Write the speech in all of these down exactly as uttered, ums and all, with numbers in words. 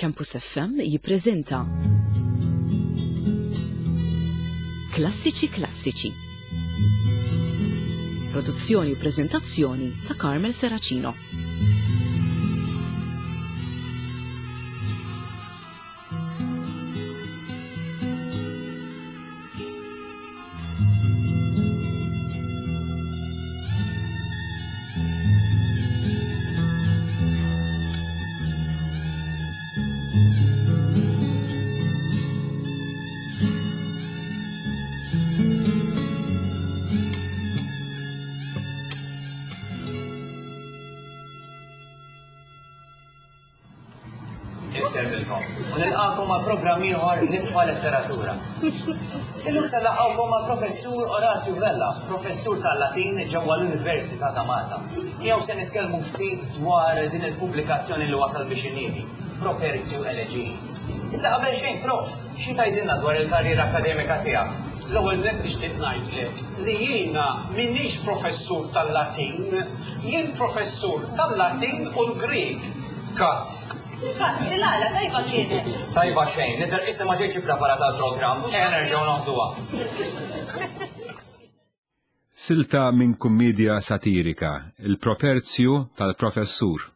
Campus F M jippreżenta Klassiċi Klassiċi. Produzzjoni u preżentazzjoni ta' Carmel Serracino. Insellmilkom u nilqakom ma' programm ieħor Nitfa' Letteratura. Illum se nlaqgħukom ma' Professur Orazio Vella, professur tal-Latin ġewwa l-Università ta' Malta. Miegħu se nitkellmu ftit dwar din il-pubblikazzjoni li wasal biex iniedi, Properzio Elegie. Iżda qabel xejn, Prof, xi tgħidilna dwar il-karriera akademika tiegħek? L-ewwel nett nixtieq ngħidlek li jiena m'iniex professur tal-Latin, jien professur tal-Latin u l-Grieg. Kazz. Kazz, il-għala, tajba kienet. Tajba xejn, nidher qisni ma ġejtx ippreparat għall-programm, ejja nerġgħu noħduha. Silta minn kummedja satirika, Il-Properzju tal-Professur,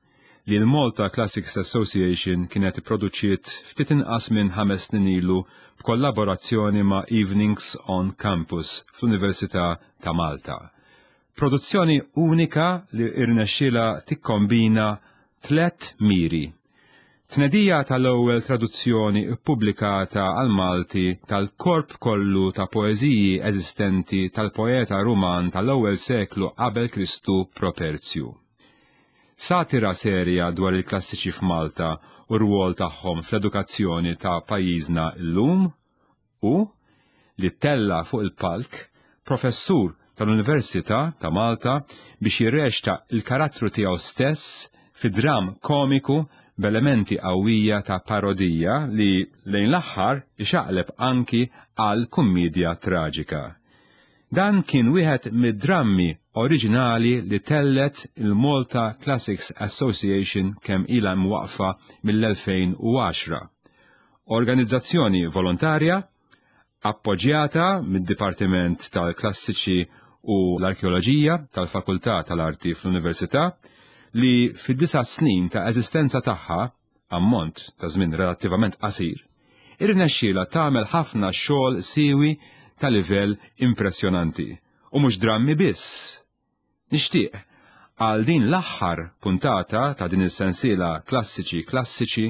li l-Malta Classics Association kienet ipproduċiet ftit inqas minn ħames snin ilu b'kollaborazzjoni ma' Evenings on Campus fl-Università ta' Malta. Produzzjoni unika li irnexxielha tikkombina tlet miri. Tnedija tal-ewwel traduzzjoni ppubblikata għal-Malti tal-korp kollu ta' poeżiji eżistenti tal-poeta Ruman tal-ewwel seklu qabel Kristu Properzju. Satira serja dwar il-klassiċi f'Malta u r-rwol tagħhom fl-edukazzjoni ta' pajjiżna llum u li ttella' fuq il-palk professur tal-Università ta' Malta biex jirreċta l-karattru tiegħu stess fi dramm komiku b'elementi qawwija ta' parodija li lejn l-aħħar ixaqleb anki għal kummiedja traġika. Dan kien wieħed mid-drammi oriġinali li tellgħet il-Malta Classics Association kemm ilha mwaqqfa mill-elfejn u għaxra. Organizzazzjoni volontarja appoġġjata mid-Dipartiment tal-Klassiċi u l-Arkeoloġija tal-Fakultà tal-Arti fl-Università li fid-disa' snin ta' eżistenza tagħha, ammont ta' żmien relattivament qasir, irnexxielha tagħmel ħafna xogħol siewi ta' livell impressjonanti, u mhux drammi biss. Nixtieq, għal din l-aħħar puntata ta' din is-sensiela Klassiċi Klassiċi,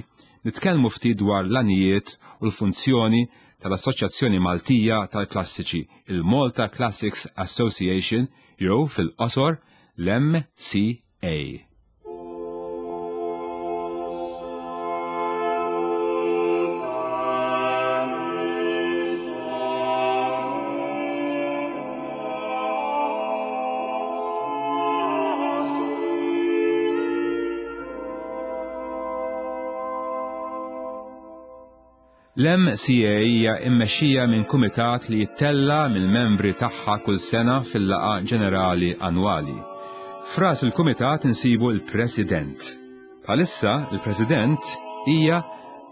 nitkellmu ftit dwar l-għanijiet u l-funzjoni tal-Assoċjazzjoni Maltija tal-Klassiċi, il-Malta Classics Association, jew fil-qosor l-M C A. L-M C A hija mmexxija minn kumitat li jittella mill-membri tagħha kull sena fil-laqgħa ġenerali annwali. F'ras il-kumitat insibu l-President. Bħalissa il-President hija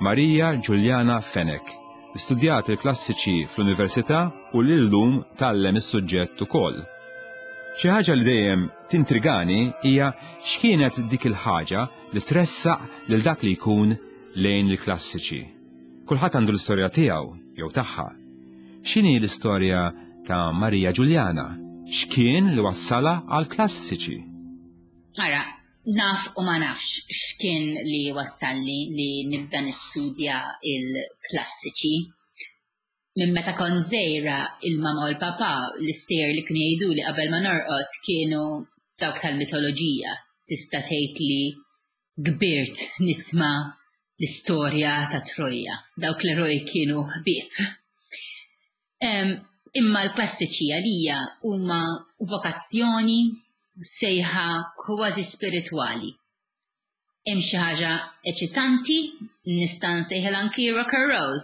Maria Giuliana Fenech, studjat il-klassiċi fl-Università u lillum tgħallem is-suġġett ukoll. Xi ħaġa li dejjem tintrigani hija x'kienet dik il-ħaġa li tressaq lil dak li jkun lejn il-klassiċi. Kulħadd għandu l-istorja tiegħu jew tagħha. X'inhi l-istorja ta' Maria Giuliana? X'kien li wassalha għal klassiċi? Ara, naf u ma nafx x'kien li wassalli li nibda nistudja il-klassiċi. Minn meta kont żgħira, il-mama u l-papa l-istejjer li kienu jgħiduli qabel ma norqod kienu dawk tal-mitoloġija. Tista' tgħid li kbirt nisma' l-istorja ta' Troja. Dawk l-eroj kienu ħbieb. Em, imma l-klassiċi għalija huma vokazzjoni, sejħa kważi spiritwali. Hemm xi ħaġa eċitanti, nista' nsejħilha anki rock and roll,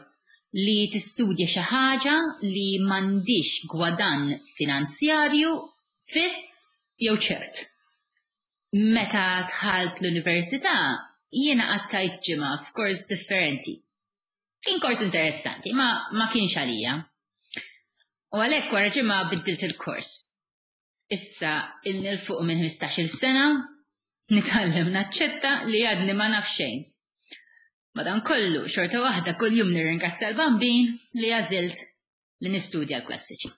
li tistudja xi ħaġa li m'għandix gwadann finanzjarju fiss jew ċert. Meta dħalt l-università, Jiena qattajt ġimgħa f'kors differenti. Kien kors interessanti, ma ma kienx għalija. U għalhekk wara ġimgħa biddilt il-kors. Issa ilni 'l fuq minn ħmistax-il sena nitgħallem naċċetta li għadni ma naf xejn. Madankollu, xorta waħda kuljum nirringrazzja l-Bambin li għażilt li nistudja l-klassiċi.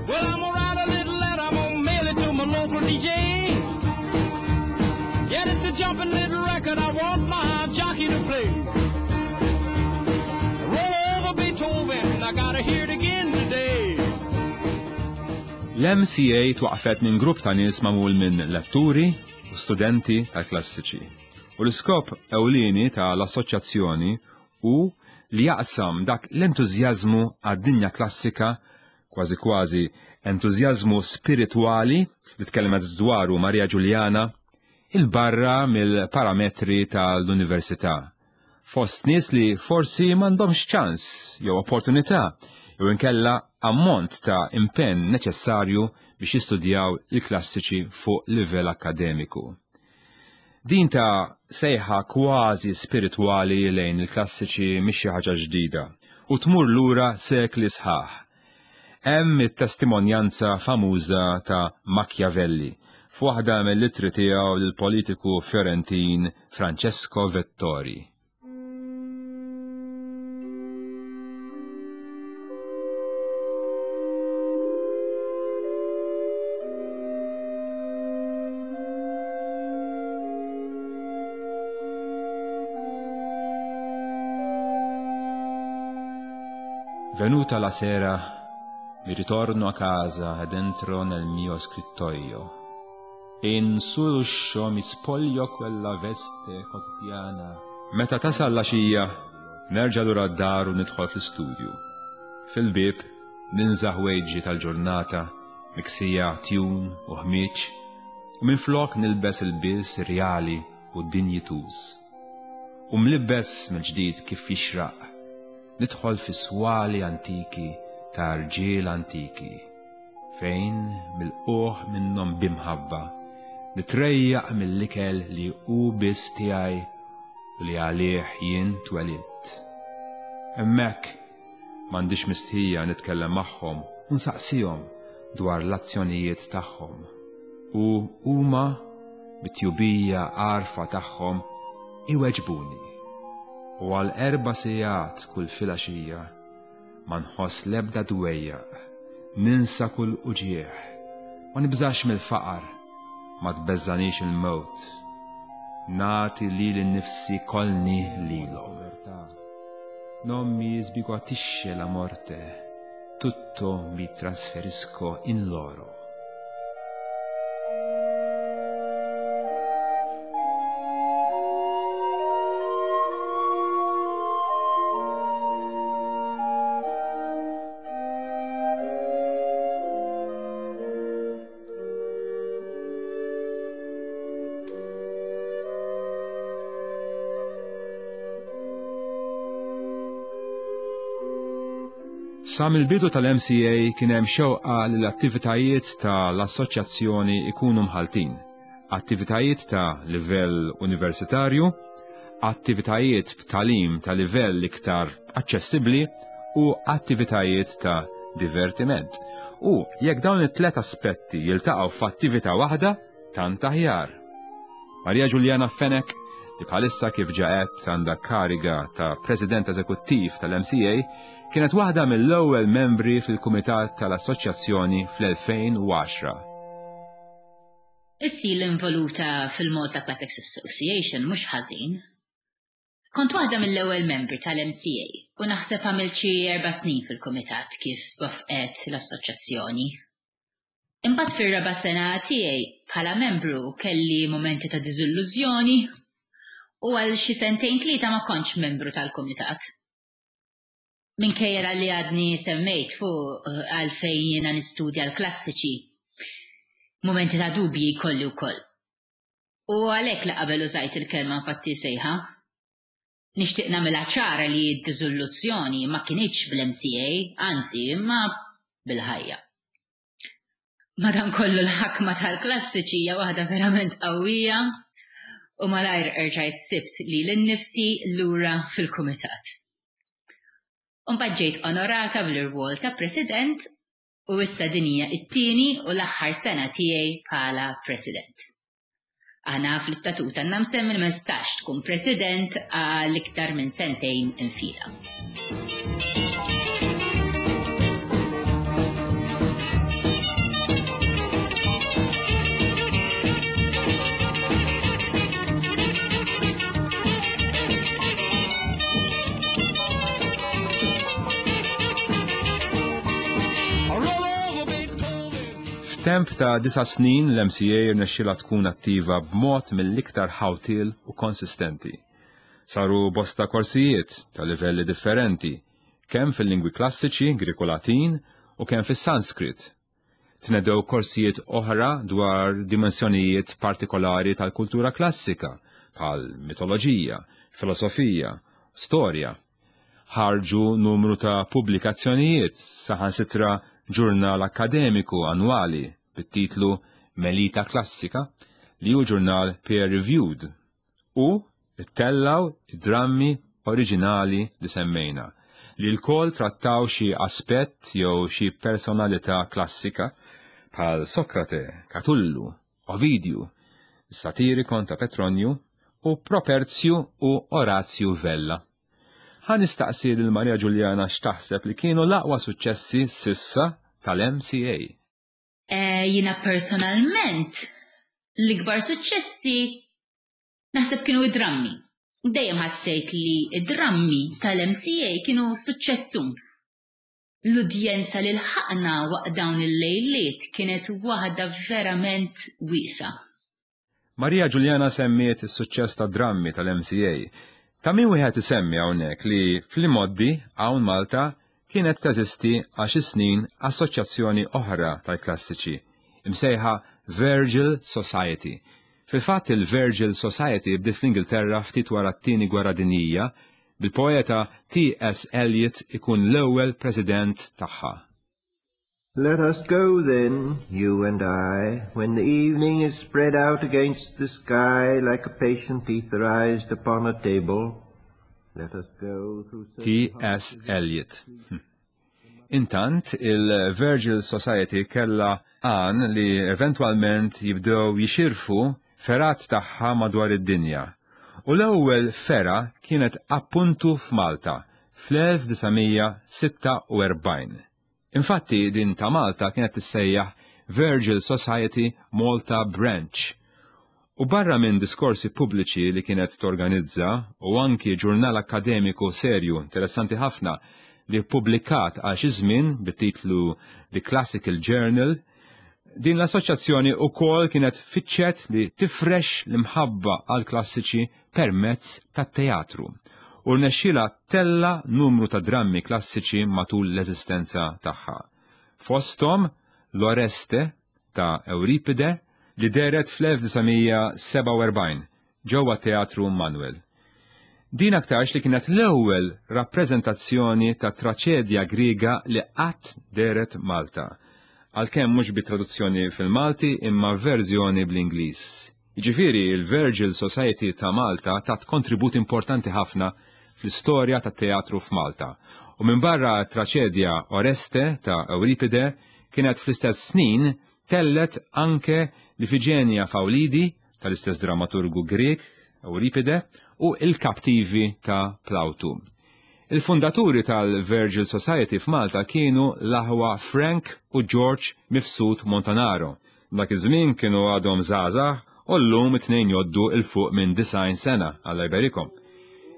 Well, I'm gonna write a little letter, I'm gonna mail it to my local D J. Yeah, it's a jumping little record I want my jockey to play. Roll over Beethoven, I gotta hear it again today. L-M C A twaqfet minn grupp ta' nies magħmul minn letturi u studenti tal-klassiċi. U l-iskop ewlieni tal-assoċjazzjoni hu li jaqsam dak l-entużjażmu għad-dinja klassika, kważi kważi entużjażmu spiritwali li tkellmet dwaru Maria Giuliana, il-barra mill-parametri tal-università. Fost nies li forsi m'għandhomx ċans jew opportunità jew inkella ammont ta' impenn neċessarju biex jistudjaw il-klassiċi fuq livell akkademiku. Din ta' sejħa kważi spiritwali lejn il-klassiċi mhix xi ħaġa ġdida u tmur lura sekli sħaħ. Hemm it-testimonjanza famuża ta' Machiavelli f'waħda mill-ittri tiegħu lill-politiku Fiorentin Francesco Vettori. Venuta la sera, mi ritorno a casa ed entro nel mio scrittoio. E in sull'uscio mi spoglio quella veste quotidiana. Meta tasal l-għaxija, nerġa' lura d-dar u nidħol fl-istudju. Fil-bib, ninżaħ ħwejġi tal-ġurnata, miksija tjun u ħmieġ, u minflok nilbes il-bies rjali u dinjituż. U mlibbes mill-ġdid kif jixraq, nidħol fi swali antiki ta' rġiel antiki, fejn mill-qoħ minnhom bimħabba, nitrejjaq mill-ikel li hu biss tiegħi u li għalih jien twelidt. Hemmhekk m'għandix mistħija nitkellem magħhom u nsaqsihom dwar l-azzjonijiet tagħhom. U huma bit-tjubija għarfa tagħhom iweġbuni. U għal erba' sigħat kull filgħaxija ma nħoss l-ebda dwejjaq, ninsa kull uġieħ, ma nibżax mill-faqar, ma tbeżżanix il-mewt. Nagħti lili nnifsi kollni lilhom. Non mi sbiguatisce la morte, tutto mi trasferisco in loro. Sa mill-bidu tal-M C A kien hemm xewqa li l-attivitajiet tal-assoċjazzjoni ikunu mħaltin. Attivitajiet ta' livell universitarju, attivitajiet b'talim ta' livell iktar aċċessibbli u attivitajiet ta' divertiment. U jekk dawn it-tlet aspetti jiltaqgħu f'attività waħda, tant aħjar. Maria Giuliana Fenech, li bħalissa kif ġaet għandha kariga ta' President Eżekuttiv tal-M C A, kienet waħda mill-ewwel membri fil-Kumitat tal-Assoċjazzjoni fl-elfejn u għaxra. Issi l-involuta fil-Malta Classics Association mhux ħażin. Kont waħda mill-ewwel membri tal-M C A u naħseb għamilt xi erba' snin fil-kumitat kif twaffqet l-assoċjazzjoni. Imbagħad fir-raba' sena tiegħi bħala membru kelli mumenti ta' diżillużjoni u għal xi sentejn tlieta ma kontx membru tal-kumitat. Minkejja li għadni semmejt fuq, eh, għalfejn jiena nistudja l-klassiċi, mumenti ta' dubji jkolli wkoll. U għalhekk li qabel użajt il-kelma infatti sejħa. Nixtieq nagħmilha ċara li d-diżoluzzjoni ma kinitx bl-M C A, anzi, imma bil-ħajja. Madankollu l-ħakma tal-klassiċi hija waħda verament qawwija u malajr erġajt sibt lili nnifsi lura fil-kumitat. Mbagħad ġejt onorata bl-irwol ta' president u issa din hija t-tieni u l-aħħar sena tiegħi bħala president. Aħna fl-istatut għandna msemmi li ma nistax tkun president għal iktar minn sentejn infila. F'temp ta' disa' snin l-M C A rnexxielha tkun attiva b'mod mill-iktar ħawtil u konsistenti. Saru bosta korsijiet ta' livelli differenti, kemm fil-lingwi klassiċi, Greko-Latin, u kemm fis-Sanskrit. Tnedew korsijiet oħra dwar dimensjonijiet partikolari tal-kultura klassika, bħal mitoloġija, filosofija, storja. Ħarġu numru ta' pubblikazzjonijiet, saħansitra ġurnal akademiku annwali bit-titlu Melita Klassika, li hu ġurnal peer-reviewed, u ttellaw id-drammi oriġinali li semmejna, li lkoll trattaw xi aspett jew xi personalità klassika bħal Sokrate, Katullu, Ovidju, Satirikon ta' Petronju u Properzju u Orazju Vella. Ħa nistaqsi lil Maria Giuliana x'taħseb li kienu l-aqwa suċċessi s'issa tal-M C A. Eh, Jiena personalment l-ikbar suċċessi naħseb kienu id-drammi. Dejjem ħassejt li id-drammi tal-M C A kienu suċċessun. L-udjenza li lħaqna waqt dawn il-lejliet kienet waħda verament wiesgħa. Maria Giuliana semmiet is-suċċess ta' drammi tal-M C A. Ta' min wieħed isemmi hawnhekk li fl-imgħoddi hawn Malta kienet teżisti għal xi snin assoċjazzjoni oħra tal-klassiċi, imsejħa Virgil Society. Fil-fatt il-Virgil Society bdiet fl-Ingilterra ftit wara t-tieni gwerra dinjija, bil-poeta T S. Eliot ikun l-ewwel president tagħha. Let us go then, you and I, when the evening is spread out against the sky like a patient etherized upon a table. Let us go through certain T S. Eliot. Hm. Intant, il-Virgil Society kella għan li eventualment jibdew jixirfu fergħat tagħha madwar id-dinja. U l-ewwel fergħa kienet appuntu f'Malta fl-elf disa' mija sitta u erbgħin. Infatti din ta' Malta kienet tissejjaħ Virgil Society Malta Branch. U barra minn diskorsi pubbliċi li kienet torganizza u anki ġurnal akademiku serju interessanti ħafna li ppubblikat għal xi żmien bit-titlu The Classical Journal, din l-assoċjazzjoni wkoll kienet fittxet li tifrex l-imħabba għal klassiċi permezz tat-teatru u rnexxielha ttella' numru ta' drammi klassiċi matul l-eżistenza tagħha. Fosthom l-Oreste ta' Euripide li dehret fl-elf disa' mija sebgħa u erbgħin ġewwa Teatru Manuel. Din aktarx li kienet l-ewwel rappreżentazzjoni ta' traċedja Griega li qatt dehret Malta. Għalkemm mhux bi traduzzjoni fil-Malti, imma verżjoni bl-Ingliż. Jiġifieri il-Virgil Society ta' Malta tat kontribut importanti ħafna fl-istorja tat-teatru f'Malta. U minn barra traċedja Oreste ta' Euripide, kienet fl-istess snin tellgħet anke l-Ifiġenja f'Awlidi tal-istess dramaturgu Grek Euripide u il-Kaptivi ta' Plawtu. Il-fundaturi tal-Virgil Society f'Malta kienu l-aħwa Frank u George Mifsud Montanaro. Dak iż-żmien kienu għadhom żgħażagħ u llum it-tnejn jgħoddu 'l fuq minn disgħin sena, Alla jberikhom.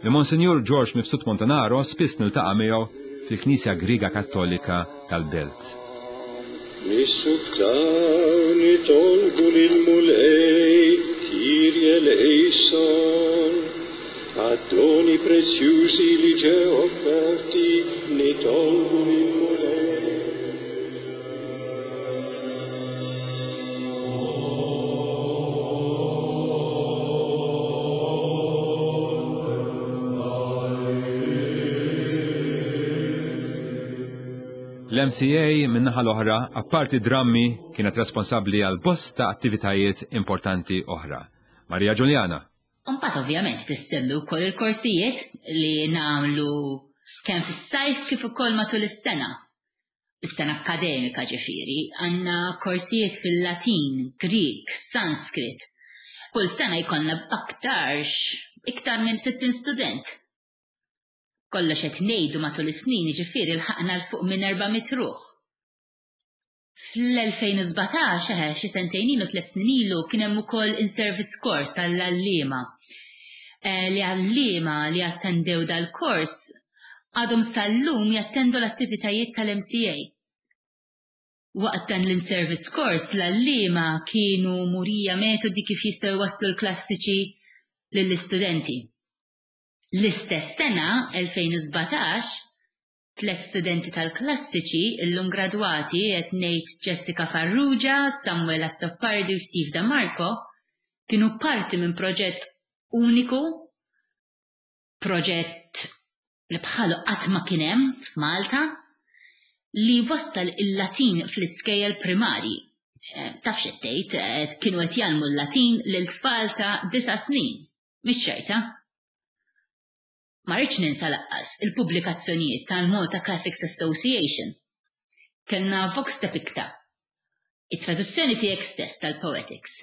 Il-Monsinjur George Mifsud Montanaro spiss niltaqa' miegħu fil-Knisja Griega Kattolika tal-Belt. Nissuktaw nitolbu lill-Mulej, Kyrie eleison, għad-doni prezzjużi li ġew offerti, nitolbu lill-Mulej. L-M C A min-naħa l-oħra, apparti drammi, kienet responsabbli għal bosta attivitajiet importanti oħra. Maria Giuliana. Imbagħad ovvjament tissemmi wkoll il-korsijiet li nagħmlu kemm fis-sajf kif ukoll matul is-sena. Is-sena akkademika ġifieri, għandna korsijiet fil-Latin, Grieg, Sanskrit. Kull sena jkollna b'aktarx iktar minn sittin student. Kollox qed ngħidu matul is-snin ġifieri lħaqna 'l fuq minn erba' mitt ruħ. Fl-elfejn u sbatax, eħe, xi sentejn ilu, tliet snin ilu, kien hemm ukoll in-service course għall-għalliema. Eh, li għalliema li attendew dal-kors għadhom sal-lum jattendu l-attivitajiet tal-M C A. Waqt dan l-in-service course l-għalliema kienu murija metodi kif jistgħu jwasslu l-klassiċi lill-istudenti. L-istess sena, elfejn u sbatax, tliet studenti tal-klassiċi illum gradwati, qed ngħid Jessica Farrugia, Samuel Azzopardi u Steve DeMarco, kienu parti minn proġett uniku, proġett li bħalu qatt ma kien hemm f'Malta, li wassal il-Latin fl-iskejjel primarji. Eh, taf x'qed tgħid, eh, kienu qed jgħallmu l-Latin lil tfal ta' disa' snin. Mhix ċajta. Ma rridx ninsa lanqas il-pubblikazzjonijiet tal-Malta Classics Association. Kellna Vox te Picta, it-traduzzjoni tiegħek stess tal-Poetics.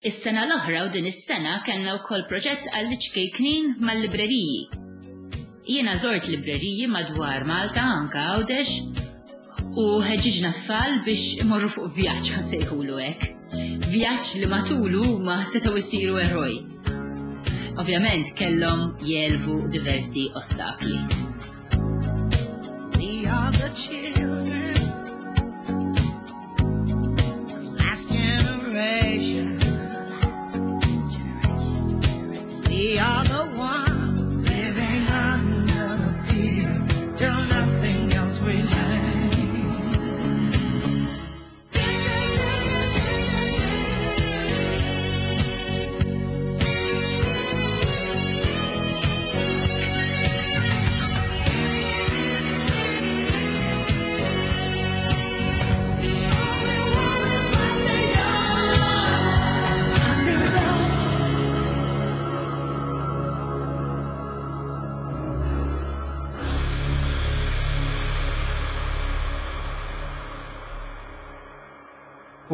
Is-sena l-oħra u din is-sena kellna wkoll proġett għall-iċkejknin mal-libreriji. Jiena żort libreriji madwar Malta, anka Għawdex, u ħeġġiġna tfal biex imorru fuq vjaġġ, ħa nsejħulu hekk. Vjaġġ li matulu ma setgħu jsiru eroj. Ovvjament kellhom jegħlbu diversi ostakli. We are the children, last generation. We are the ones living under the fear till nothing else remains.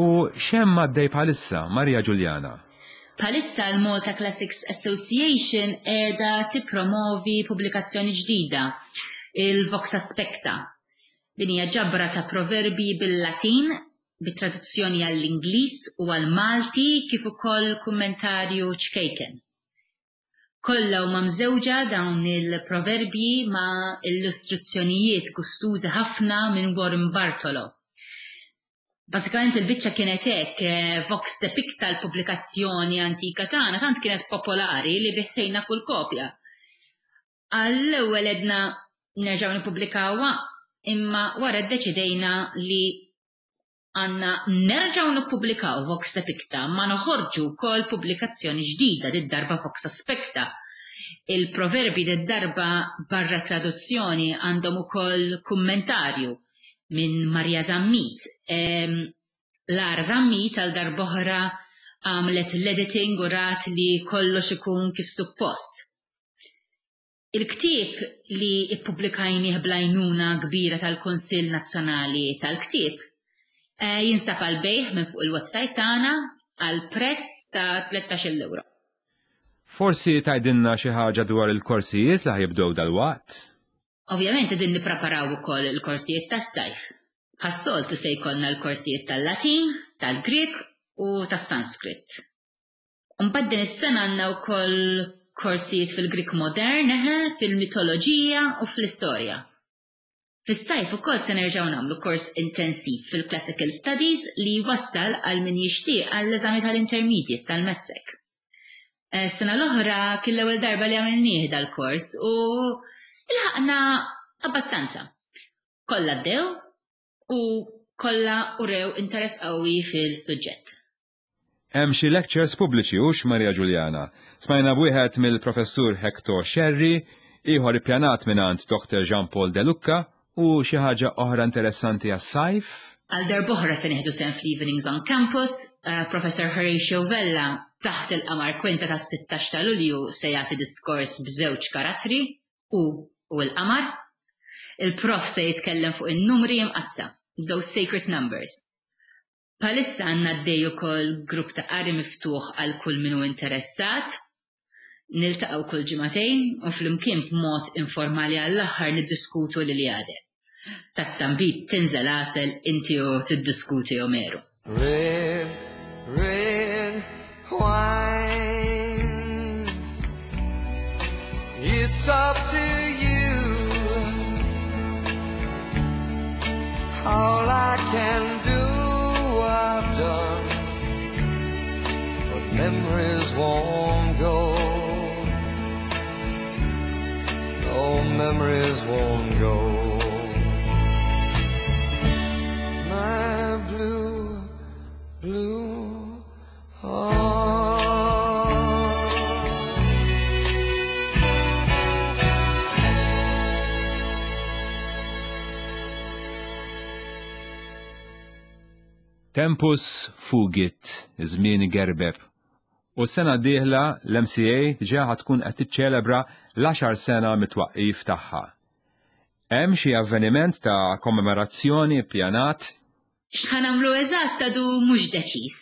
U x'hemm għaddej bħalissa, Maria Giuliana? Bħalissa l-Malta Classics Association qiegħda tippromovi pubblikazzjoni ġdida, il-Vox Aspecta. Din hija ġabra ta' proverbi bil-Latin, bit-traduzzjoni għall-Ingliż u għall-Malti kif ukoll kummentarju ċkejken. Kollha huma mżewġa dawn il-proverbji ma' illustrazzjonijiet gustużi ħafna minn Warren Bartolo. Basikament il-biċċa kienet hekk, eh, Vox te Picta, l-pubblikazzjoni antika tagħna, tant kienet popolari li bigħna kull kopja. Għall-ewwel għedna nerġgħu nippubblikawha, imma wara ddeċidejna li għandna nerġgħu nippubblikaw Vox te Picta ma noħorġu wkoll pubblikazzjoni ġdida, did-darba Vox Aspecta. Il-proverbi did-darba barra traduzzjoni għandhom ukoll kummentarju minn Maria Zammit. Em, Lara Zammit għal darb'oħra għamlet l-editing u rat li kollox ikun kif suppost. Il-ktieb li ippubblikajnieh bl-għajnuna kbira tal-Kunsill Nazzjonali tal-Ktieb eh, jinsab għall-bejgħ minn fuq il-website tagħna għal prezz ta' tlettax-il euro. Forsi tgħidilna xi ħaġa dwar il-korsijiet li ħa jibdew dalwaqt? Ovvjament qegħdin nippreparaw ukoll il-korsijiet tas-sajf. Bħas-soltu se jkollna l-korsijiet tal-Latin, tal-Grieg u tas-Sanskrit. Mbagħad din is-sena għandna wkoll korsijiet fil-Grieg modern, eħe, fil-mitoloġija u fl-istorja. Fis-sajf ukoll se nerġgħu nagħmlu kors intensiv fil-Classical Studies li jwassal għal min jixtieq għall-eżami tal-Intermediate tal-MATSEC. Eh, Sena l-oħra kien l-ewwel darba li għamilnieh dal-kors u ilħaqna abbastanza. Kollha bdew u kollha urew interess qawwi fil-suġġett. Hemm xi lectures pubbliċi hux, Maria Giuliana? Smajna b'wieħed mill-professur Hector Sherry, ieħor ippjanat mingħand Doctor Jean Paul De Lucca. U xi ħaġa oħra interessanti għas-sajf? Għal darb'oħra se nieħdu sehem fl-Evenings on Campus, uh, Professor Horatio Vella taħt il-qamar kwinta tas-sittax ta' Lulju se jagħti diskors b'żewġ karattri, u u l-qamar. Il-prof se jitkellem fuq in-numri imqaddsa, those sacred numbers. Bħalissa għandna għaddej ukoll grupp ta' qari miftuħ għal kull min hu interessat. Niltaqgħu kull ġimagħtejn u flimkien b'mod informali għall-aħħar niddiskutu l-Iliade. Tazza nbid tinżel għasel inti u tiddiskuti Omeru. Red, red wine. It's up to you. All I can do, I've done. But memories won't go. No, memories won't go. My blue, blue heart. Tempus fugit, żmien igerbeb. U s-sena d-dieħla l-M C A diġà tkun qed tiċċelebra l-għaxar sena mit-twaqqif tagħha. Hemm xi avveniment ta' kommemorazzjoni ppjanat? X'ħa nagħmlu eżatt għadu mhux deċiż.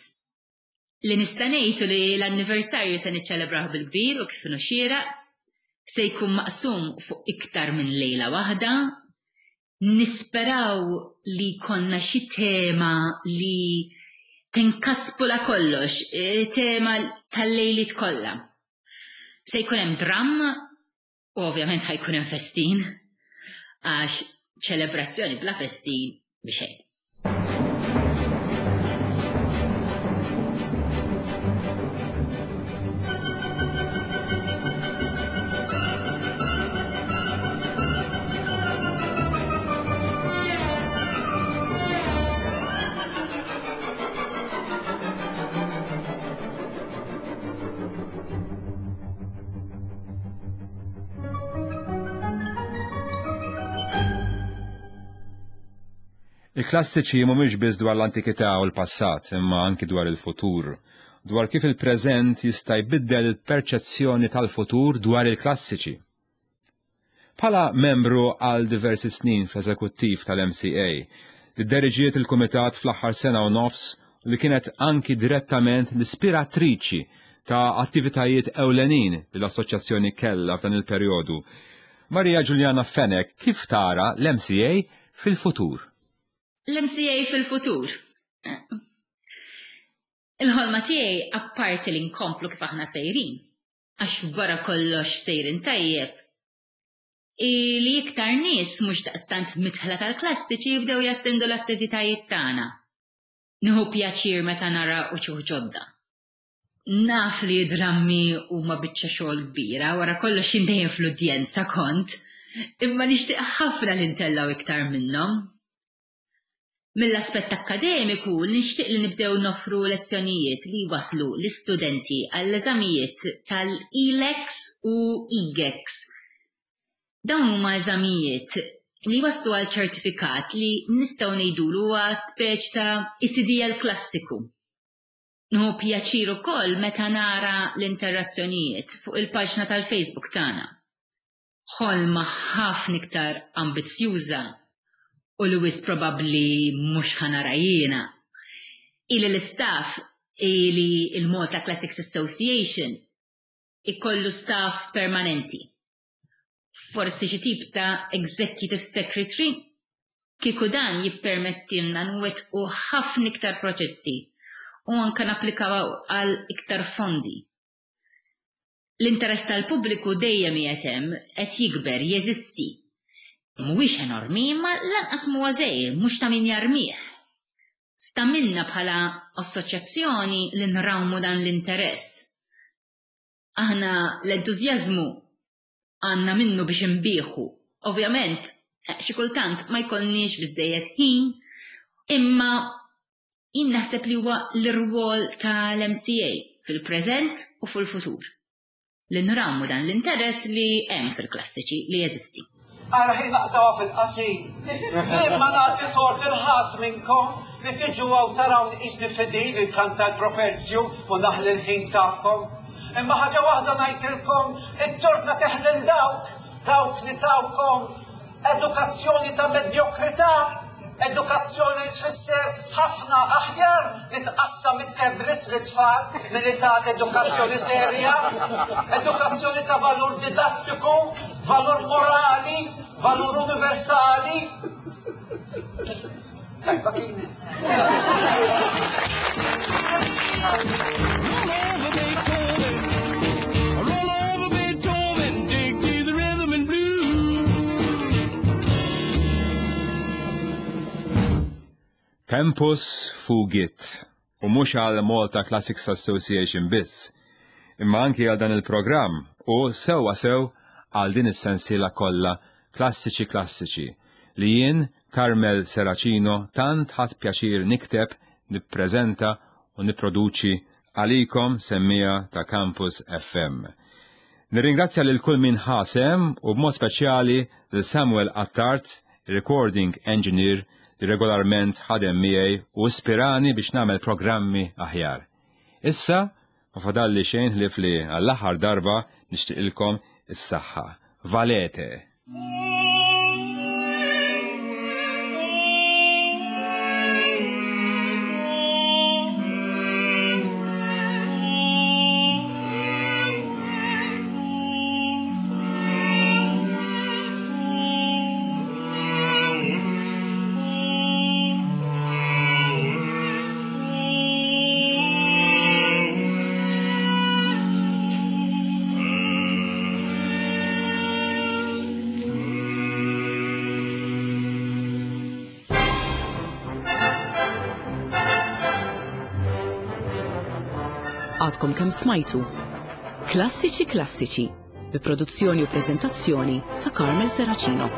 Li nista' ngħidu li l-anniversarju se niċċelebraw bil-kbir u kif inhu xieraq, se jkun maqsum fuq iktar minn lejla waħda. Nisperaw li konna xi tema li tinkaspula kollox, e, tema tal-lejliet kollha. Se jkun hemm dramm u ovvjament ħa jkun hemm festin, għax ċelebrazzjoni bla festin mhi xejn. Il-klassiċi mhumiex biss dwar l-antikità u l-passat, imma anki dwar il-futur, dwar kif il-preżent jista' jbiddel il-perċezzjoni tal-futur dwar il-klassiċi. Bħala membru għal diversi snin fl-eżekuttiv tal-M C A, li deriġiet il-kumitat fl-aħħar sena u nofs u li kienet anki direttament l-ispiratriċi ta' attivitajiet ewlenin li l-assoċjazzjoni kellha f'dan il-perjodu. Maria Giuliana Fenech, kif tara l-M C A fil-futur? L-M C A fil-futur. Il-ħolma tiegħi, apparti li nkomplu kif aħna sejrin, għax wara kollox sejrin tajjeb, li iktar nies mhux daqstant midħla tal-klassiċi jibdew jattendu l-attivitajiet tagħna. Nieħu pjaċir meta nara uċuħ ġodda. Naf li drammi huma biċċa xogħol kbira, wara kollox jien dejjem fl-udjenza kont, imma nixtieq ħafna li ntellgħu iktar minnhom. Mill-aspett akkademiku nixtieq li nibdew noffru lezzjonijiet li waslu l-istudenti għall-eżamijiet tal-E L E X u E G E X. Dawn huma eżamijiet li waslu għal ċertifikat li nistgħu ngħidulu huwa speċ ta' E C D L klassiku. Nieħu pjaċir ukoll meta nara l-interazzjonijiet fuq il-paġna tal-Facebook tagħna. Ħolma ħafna iktar ambizzjuża u li wisq probabbli mhux ħa nara jiena. Ili l-istaff ili il-Malta Classics Association ikollu staff permanenti. Forsi xi tip ta' executive secretary, kieku dan jippermettilna nwettqu ħafna iktar proġetti u anke napplikaw għal iktar fondi. L-interess tal-pubbliku dejjem qiegħed hemm, qed jikber, jeżisti. Mhuwiex enormi, imma lanqas mhuwa żgħir, mhux ta' min jarmih. Sta minna bħala assoċjazzjoni li nrawmu dan l-interess. Aħna l-entużjażmu għandna minnu biex nbieħu. Ovvjament, xi kultant ma jkollniex biżejjed ħin, imma jien naħseb li huwa l-irwol tal-M C A fil-preżent u fil-futur. Li nrawmu dan l-interess li hemm fil-klassiċi li jeżisti. Ara ħin naqtgħuha fil-qasir. Jien ma nagħti tort lil ħadd minnkom li tiġu hawn tarawni qisni fidil inkanta l-properzju u naħli l-ħin tagħkom. Imma ħaġa waħda ngħidilkom, it-tort nagħtih lil dawk, dawk li tawkom edukazzjoni ta' medjokrità, edukazzjoni li tfisser ħafna aħjar li tqassam it-tablets lit-tfal milli tagħti edukazzjoni serja, edukazzjoni ta' valur didattiku, valur morali, valur universali. Tajba kien. Roll over Beethoven, roll over Beethoven, dig to the rhythm and blues. Tempus fugit, u mhux għal Malta Classics Association biss, imma anki għal dan il-programm u sewwa sew għal din is-sensiela kollha Klassiċi Klassiċi li jien Carmel Serracino tant ħadt pjaċir nikteb, nippreżenta u nipproduċi għalikom semmiegħa ta' Campus F M. Nirringrazzja lil kull min ħa sehem u b'mod speċjali lil Samuel Attard, recording engineer li regolarment ħadem miegħi u ispirani biex nagħmel programmi aħjar. Issa ma fadalli xejn ħlief li għall-aħħar darba nixtieqilkom is-saħħa. Valete! Għadkom kemm smajtu Klassiċi Klassiċi bi produzzjoni u preżentazzjoni ta' Carmel Serracino.